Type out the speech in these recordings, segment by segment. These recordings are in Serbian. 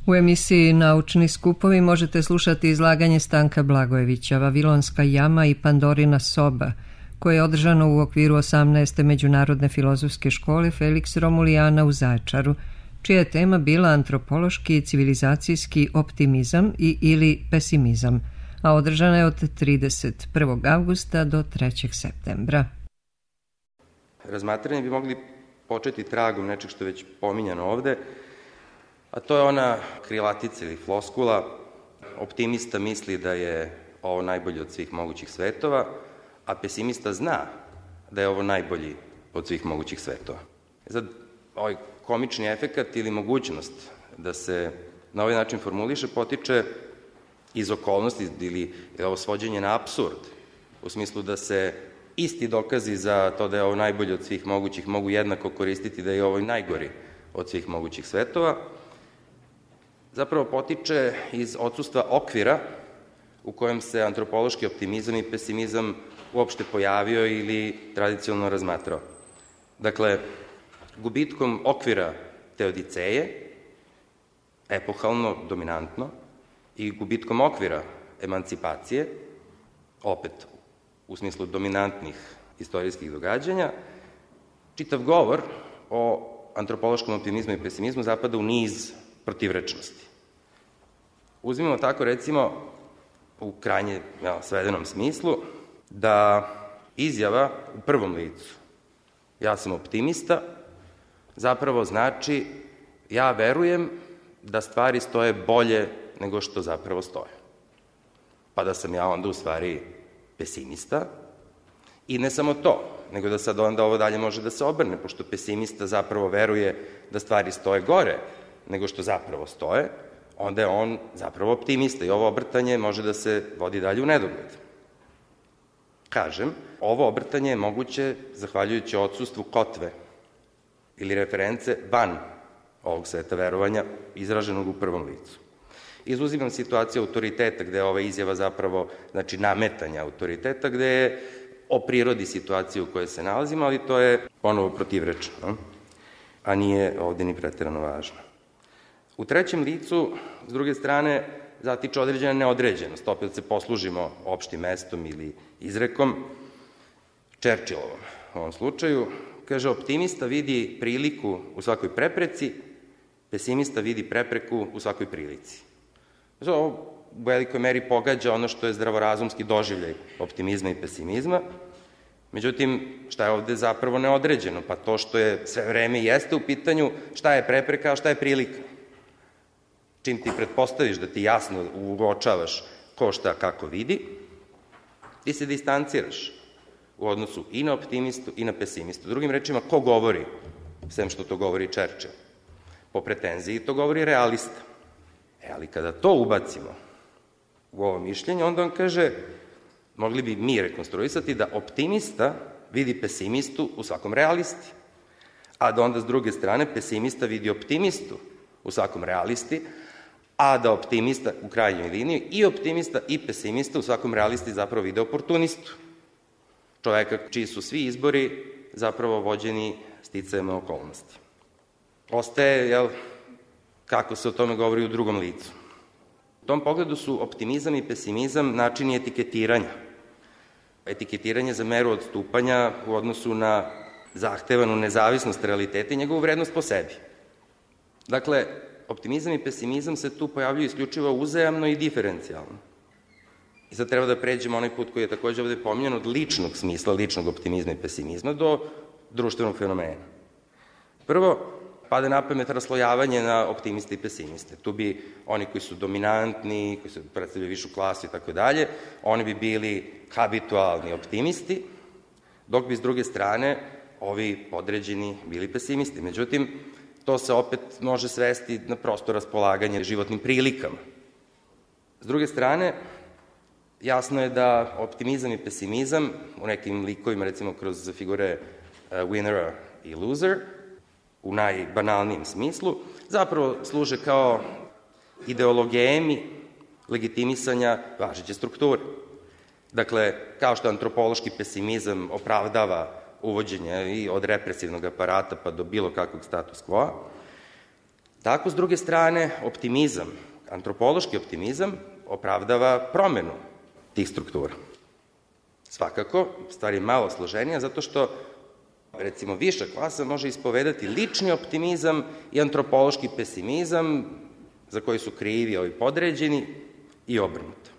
U emisiji Naučni skupovi možete slušati izlaganje Stanka Blagojevića, Vavilonska jama i Pandorina soba, koje je održano u okviru 18. Međunarodne filozofske škole Felix Romulijana u Zaječaru, čija je tema bila antropološki i civilizacijski optimizam ili pesimizam, a održana je od 31. avgusta do 3. septembra. Razmatranje bi mogli početi tragom nečeg što je već pominjano ovde, a to je ona krilatica ili floskula: optimista misli da je ovo najbolje od svih mogućih svetova, a pesimista zna da je ovo najbolji od svih mogućih svetova. Sad, ovaj komični efekat ili mogućnost da se na ovaj način formuliše potiče iz okolnosti ili ovo svođenje na apsurd, u smislu da se isti dokazi za to da je ovo najbolje od svih mogućih mogu jednako koristiti da je ovo najgori od svih mogućih svetova, zapravo potiče iz odsustva okvira u kojem se antropološki optimizam i pesimizam uopšte pojavio ili tradicionalno razmatrao. Dakle, gubitkom okvira teodiceje, epohalno, dominantno, i gubitkom okvira emancipacije, opet u smislu dominantnih istorijskih događanja, čitav govor o antropološkom optimizmu i pesimizmu zapada u niz protivrečnosti. Uzmimo tako, recimo, u krajnje svedenom smislu, da izjava u prvom licu "ja sam optimista" zapravo znači ja verujem da stvari stoje bolje nego što zapravo stoje. Pa da sam ja onda u stvari pesimista, i ne samo to, nego da sad onda ovo dalje može da se obrne, pošto pesimista zapravo veruje da stvari stoje gore nego što zapravo stoje, onda je on zapravo optimista i ovo obrtanje može da se vodi dalje u nedogled. Kažem, ovo obrtanje je moguće zahvaljujući odsustvu kotve ili reference van ovog sveta verovanja izraženog u prvom licu. Izuzimam situaciju autoriteta, gde je ova izjava zapravo, znači nametanja autoriteta, gde je o prirodi situacije u kojoj se nalazimo, ali to je ponovo protivrečno, a nije ovde ni preterano važno. U trećem licu, s druge strane, zatiče određena neodređenost, opet se poslužimo opštim mestom ili izrekom, Churchillovom u ovom slučaju. Kaže, optimista vidi priliku u svakoj prepreci, pesimista vidi prepreku u svakoj prilici. Znači, ovo u velikoj meri pogađa ono što je zdravorazumski doživljaj optimizma i pesimizma. Međutim, šta je ovde zapravo neodređeno? Pa to što je sve vreme jeste u pitanju šta je prepreka, a šta je prilika. Čim ti pretpostaviš da ti jasno uočavaš ko šta kako vidi, ti se distanciraš u odnosu i na optimistu i na pesimistu. Drugim rečima, ko govori, sem što to govori Churchill? Po pretenziji to govori realista. Ali kada to ubacimo u ovo mišljenje, onda on kaže, mogli bi mi rekonstruisati da optimista vidi pesimistu u svakom realisti, a da onda s druge strane pesimista vidi optimistu u svakom realisti, a da optimista u krajnjoj liniji i optimista i pesimista u svakom realisti zapravo vide oportunistu. Čoveka čiji su svi izbori zapravo vođeni sticajem okolnosti. Ostaje, kako se o tome govori u drugom licu. U tom pogledu su optimizam i pesimizam načini etiketiranja. Etiketiranje za meru odstupanja u odnosu na zahtevanu nezavisnost realiteta i njegovu vrednost po sebi. Dakle, optimizam i pesimizam se tu pojavljuju isključivo uzajamno i diferencijalno. I sad treba da pređemo onaj put koji je takođe ovde pominjan od ličnog smisla, ličnog optimizma i pesimizma do društvenog fenomena. Prvo, pada na pamet raslojavanje na optimiste i pesimiste. Tu bi oni koji su dominantni, koji se predstavljaju višu klasu i tako dalje, oni bi bili habitualni optimisti, dok bi s druge strane ovi podređeni bili pesimisti. Međutim, to se opet može svesti na prosto raspolaganje životnim prilikama. S druge strane, jasno je da optimizam i pesimizam u nekim likovima, recimo kroz figure winnera i loser, u najbanalnijem smislu, zapravo služe kao ideologemi legitimisanja važeće strukture. Dakle, kao što antropološki pesimizam opravdava uvođenje i od represivnog aparata pa do bilo kakvog status quo, Tako, s druge strane, optimizam, antropološki optimizam, opravdava promenu tih struktura. Svakako, stvar je malo složenija, zato što, recimo, viša klasa može ispovedati lični optimizam i antropološki pesimizam, za koji su krivi ovi podređeni, i obrnuto.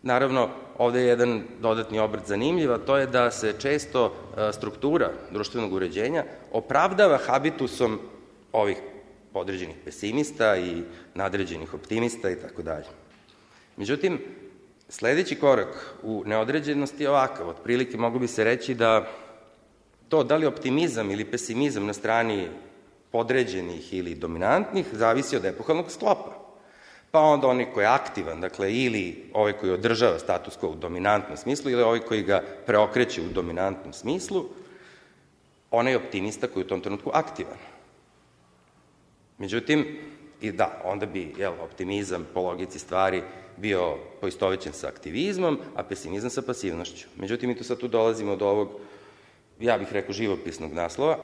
Naravno, ovde je jedan dodatni obrt zanimljiv, a to je da se često struktura društvenog uređenja opravdava habitusom ovih podređenih pesimista i nadređenih optimista i tako dalje. Međutim, sledeći korak u neodređenosti je ovakav. Otprilike moglo bi se reći da to da li optimizam ili pesimizam na strani podređenih ili dominantnih zavisi od epohalnog sklopa. Pa onda onaj koji je aktivan, dakle, ili ovaj koji održava status quo u dominantnom smislu, ili ovaj koji ga preokreće u dominantnom smislu, onaj optimista koji je u tom trenutku aktivan. Međutim, i da, onda bi optimizam po logici stvari bio poistovećen sa aktivizmom, a pesimizam sa pasivnošću. Međutim, mi tu sad dolazimo do ovog, ja bih rekao, živopisnog naslova.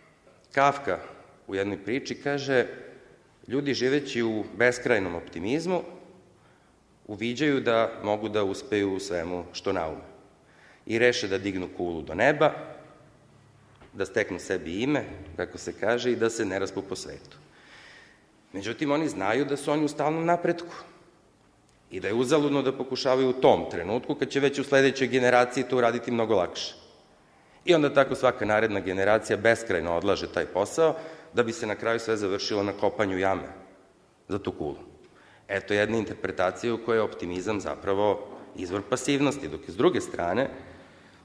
Kafka u jednoj priči kaže: ljudi živeći u beskrajnom optimizmu uviđaju da mogu da uspeju u svemu što naume i reše da dignu kulu do neba, da steknu sebi ime, kako se kaže, i da se ne raspu po svetu. Međutim, oni znaju da su oni u stalnom napretku i da je uzaludno da pokušavaju u tom trenutku, kad će već u sledećoj generaciji to uraditi mnogo lakše. I onda tako svaka naredna generacija beskrajno odlaže taj posao, da bi se na kraju sve završilo na kopanju jame za tu kulu. Eto jedna interpretacija u kojoj je optimizam zapravo izvor pasivnosti, dok je s druge strane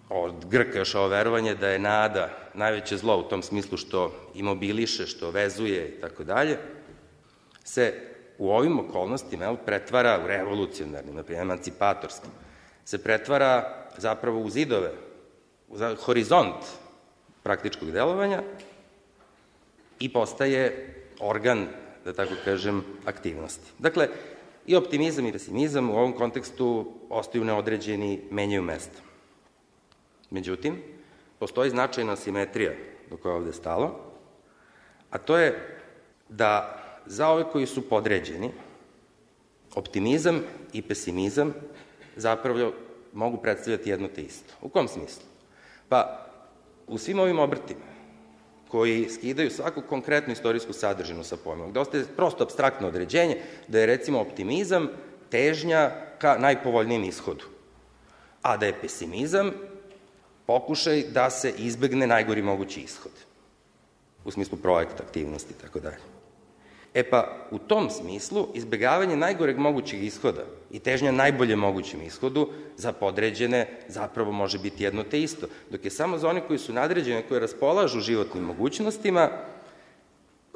od Grka još ovo verovanje da je nada najveće zlo u tom smislu što imobiliše, što vezuje i tako dalje, se u ovim okolnostima pretvara u revolucionarnim, naprimjer emancipatorskim, se pretvara zapravo u zidove, u horizont praktičkog delovanja i postaje organ, da tako kažem, aktivnosti. Dakle, i optimizam i pesimizam u ovom kontekstu ostaju neodređeni, menjaju mesto. Međutim, postoji značajna asimetrija do koja je ovde stalo, a to je da za ove koji su podređeni, optimizam i pesimizam zapravo mogu predstavljati jedno te isto. U kom smislu? Pa, u svim ovim obrtima koji skidaju svaku konkretnu istorijsku sadržinu sa pojmom, gde ostaje prosto apstraktno određenje, da je recimo optimizam težnja ka najpovoljnijem ishodu, a da je pesimizam pokušaj da se izbegne najgori mogući ishod, u smislu projekta, aktivnosti i tako dalje. E pa, u tom smislu, izbegavanje najgoreg mogućeg ishoda i težnja najbolje mogućem ishodu za podređene zapravo može biti jedno te isto, dok je samo za one koji su nadređene, koji raspolažu životnim mogućnostima,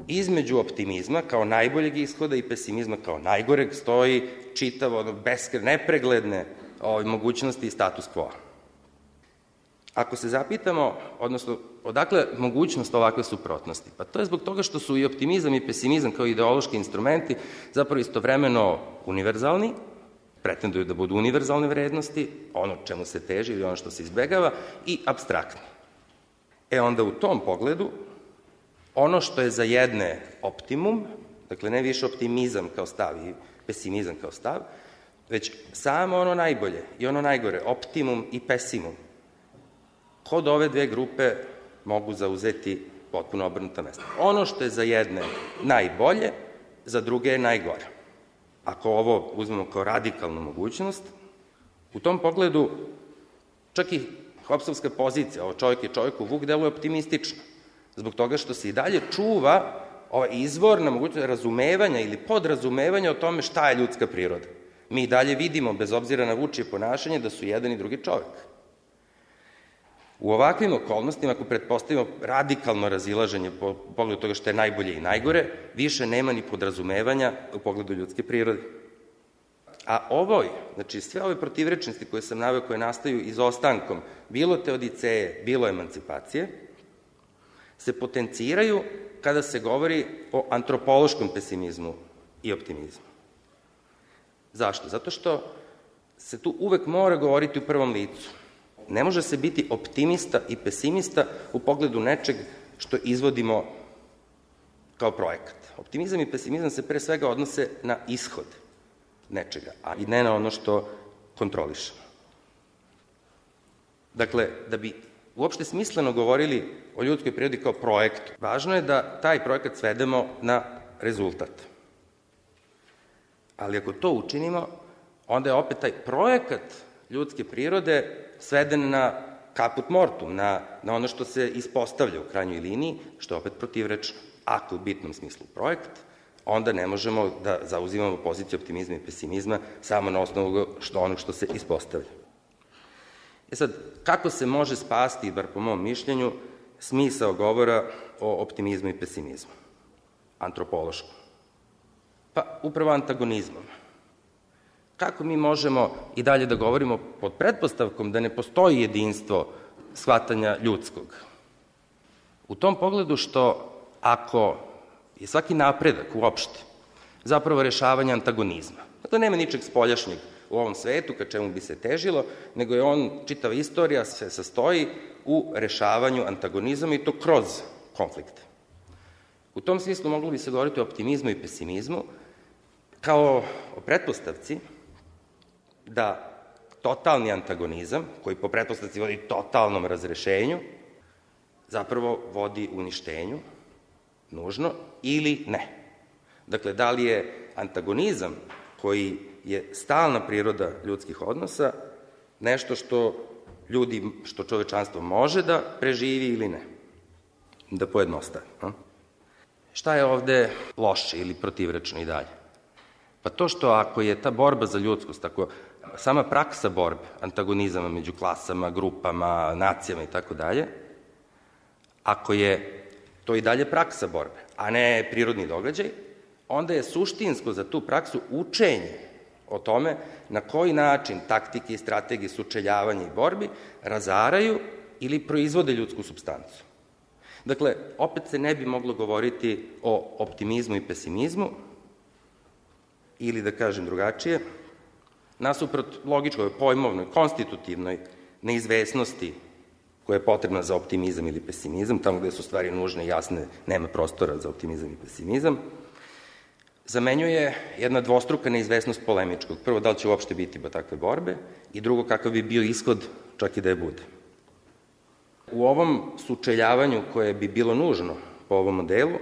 između optimizma kao najboljeg ishoda i pesimizma kao najgoreg stoji čitavo, nepregledne mogućnosti i status quo. Ako se zapitamo, odnosno, odakle mogućnost ovakve suprotnosti? Pa to je zbog toga što su i optimizam i pesimizam kao ideološki instrumenti zapravo istovremeno univerzalni, pretenduju da budu univerzalne vrednosti, ono čemu se teži ili ono što se izbegava, i apstraktni. Onda u tom pogledu, ono što je za jedne optimum, dakle ne više optimizam kao stav i pesimizam kao stav, već samo ono najbolje i ono najgore, optimum i pesimum, kod ove dve grupe mogu zauzeti potpuno obrnuta mesta. Ono što je za jedne najbolje, za druge je najgore. Ako ovo uzmemo kao radikalnu mogućnost, u tom pogledu čak i Hobsovska pozicija, ovo čovjek je čovjeku vuk, deluje optimistično, zbog toga što se i dalje čuva ova izvorna mogućnost razumevanja ili podrazumevanja o tome šta je ljudska priroda. Mi i dalje vidimo, bez obzira na vučije ponašanje, da su jedan i drugi čovjek. U ovakvim okolnostima, ako pretpostavimo radikalno razilaženje po pogledu toga što je najbolje i najgore, više nema ni podrazumevanja u pogledu ljudske prirode. A ovoj, znači sve ove protivrečnosti koje sam naveo, koje nastaju izostankom bilo teodiceje, bilo emancipacije, se potenciraju kada se govori o antropološkom pesimizmu i optimizmu. Zašto? Zato što se tu uvek mora govoriti u prvom licu. Ne može se biti optimista i pesimista u pogledu nečeg što izvodimo kao projekat. Optimizam i pesimizam se pre svega odnose na ishod nečega, a i ne na ono što kontrolišemo. Dakle, da bi uopšte smisleno govorili o ljudskoj prirodi kao projektu, važno je da taj projekat svedemo na rezultat. Ali ako to učinimo, onda je opet taj projekat ljudske prirode sveden na caput mortum, na ono što se ispostavlja u krajnjoj liniji, što je opet protivrečno. Ako u bitnom smislu projekt, onda ne možemo da zauzimamo poziciju optimizma i pesimizma samo na osnovu onog što se ispostavlja. Sad, kako se može spasti, bar po mom mišljenju, smisao govora o optimizmu i pesimizmu? Antropološkom. Pa, upravo antagonizmom. Kako mi možemo i dalje da govorimo pod pretpostavkom da ne postoji jedinstvo shvatanja ljudskog? U tom pogledu što ako je svaki napredak uopšte zapravo rešavanje antagonizma, dakle nema ničeg spoljašnjeg u ovom svetu ka čemu bi se težilo, nego je čitava istorija se sastoji u rešavanju antagonizama i to kroz konflikte. U tom smislu moglo bi se govoriti o optimizmu i pesimizmu kao o pretpostavci da totalni antagonizam, koji po pretpostavci vodi totalnom razrešenju, zapravo vodi uništenju, nužno, ili ne. Dakle, da li je antagonizam koji je stalna priroda ljudskih odnosa nešto što čovečanstvo može da preživi ili ne. Da pojednostavi. Šta je ovde loše ili protivrečno i dalje? Pa to što ako je ta borba za ljudskost, ako sama praksa borbe, antagonizama među klasama, grupama, nacijama i tako dalje, ako je to i dalje praksa borbe, a ne prirodni događaj, onda je suštinsko za tu praksu učenje o tome na koji način taktike i strategije sučeljavanja i borbi razaraju ili proizvode ljudsku supstancu. Dakle, opet se ne bi moglo govoriti o optimizmu i pesimizmu, ili da kažem drugačije, nasuprot logičkoj, pojmovnoj, konstitutivnoj neizvesnosti koja je potrebna za optimizam ili pesimizam, tamo gde su stvari nužne i jasne, nema prostora za optimizam i pesimizam, zamenjuje jedna dvostruka neizvesnost polemičkog. Prvo, da li će uopšte biti takve borbe, i drugo, kakav bi bio ishod, čak i da je bude. U ovom sučeljavanju koje bi bilo nužno po ovom modelu,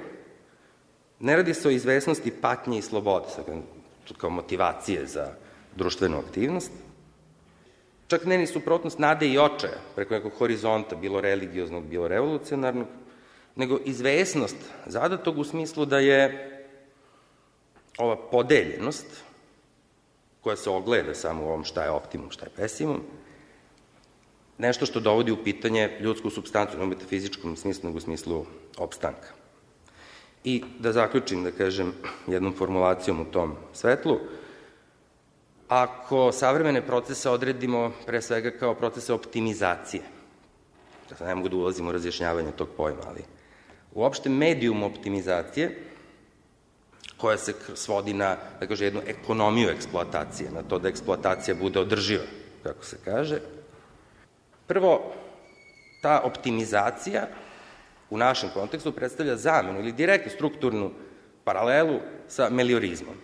ne radi se o izvesnosti patnje i slobode, kao motivacije za društvenu aktivnost, čak ne ni suprotnost nade i očaja preko nekog horizonta, bilo religioznog, bilo revolucionarnog, nego izvesnost zadatog u smislu da je ova podeljenost, koja se ogleda samo u ovom šta je optimum, šta je pesimum, nešto što dovodi u pitanje ljudsku supstancu, ne u metafizičkom smislu, nego u smislu opstanka. I da zaključim, da kažem, jednom formulacijom u tom svetlu, ako savremene procese odredimo pre svega kao procese optimizacije, da ne mogu da ulazim u razjašnjavanje tog pojma, ali uopšte medijum optimizacije, koja se svodi na, da kaže, jednu ekonomiju eksploatacije, na to da eksploatacija bude održiva, kako se kaže. Prvo, ta optimizacija u našem kontekstu predstavlja zamenu ili direktnu strukturnu paralelu sa meliorizmom.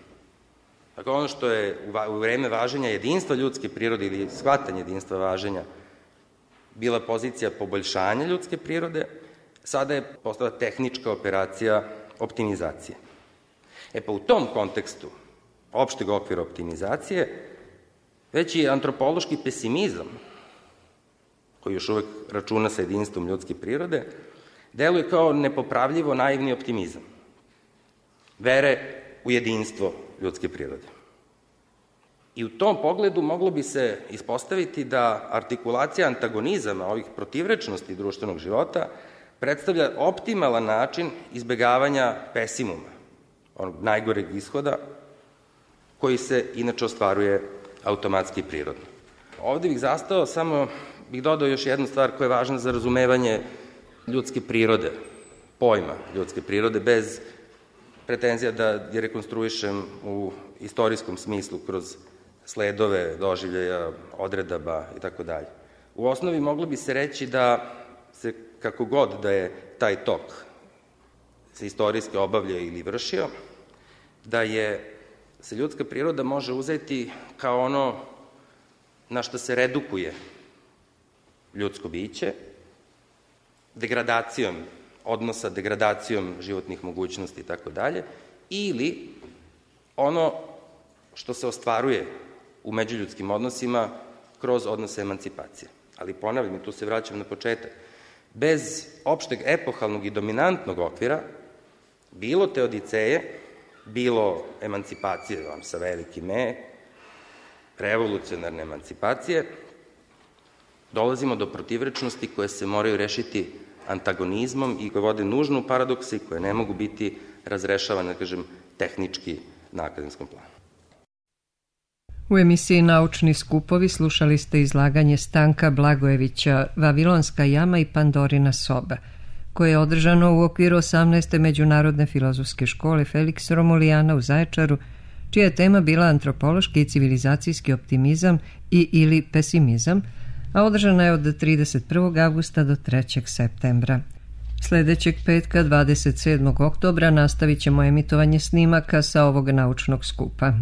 Dakle, ono što je u vreme važenja jedinstva ljudske prirode ili shvatanja jedinstva važenja bila pozicija poboljšanja ljudske prirode, sada je postala tehnička operacija optimizacije. Pa u tom kontekstu opšteg okvira optimizacije, već i antropološki pesimizam, koji još uvek računa sa jedinstvom ljudske prirode, deluje kao nepopravljivo naivni optimizam vere u jedinstvo ljudske prirode. I u tom pogledu moglo bi se ispostaviti da artikulacija antagonizama, ovih protivrečnosti društvenog života, predstavlja optimalan način izbegavanja pesimuma, onog najgoreg ishoda, koji se inače ostvaruje automatski i prirodno. Ovde bih zastao, samo bih dodao još jednu stvar koja je važna za razumevanje ljudske prirode, pojma ljudske prirode, bez pretenzija da je rekonstruišem u istorijskom smislu kroz sledove, doživljaja, odredaba i tako dalje. U osnovi moglo bi se reći da se, kako god da je taj tok se istorijski obavljao ili vršio, da se ljudska priroda može uzeti kao ono na što se redukuje ljudsko biće, degradacijom odnosa, degradacijom životnih mogućnosti i tako dalje, ili ono što se ostvaruje u međuljudskim odnosima kroz odnose emancipacije. Ali ponavljam, i tu se vraćam na početak, bez opšteg epohalnog i dominantnog okvira, bilo teodiceje, bilo emancipacije sa velikim E, revolucionarne emancipacije, dolazimo do protivrečnosti koje se moraju rešiti antagonizmom i koje vode nužno u paradokse i koje ne mogu biti razrešavane, tehnički na akademskom planu. U emisiji Naučni skupovi slušali ste izlaganje Stanka Blagojevića Vavilonska jama i Pandorina soba, koje je održano u okviru 18. Međunarodne filozofske škole Felix Romulijana u Zaječaru, čija je tema bila antropološki i civilizacijski optimizam ili pesimizam, a održana je od 31. avgusta do 3. septembra. Sljedećeg petka, 27. oktobra, nastavit ćemo emitovanje snimaka sa ovog naučnog skupa.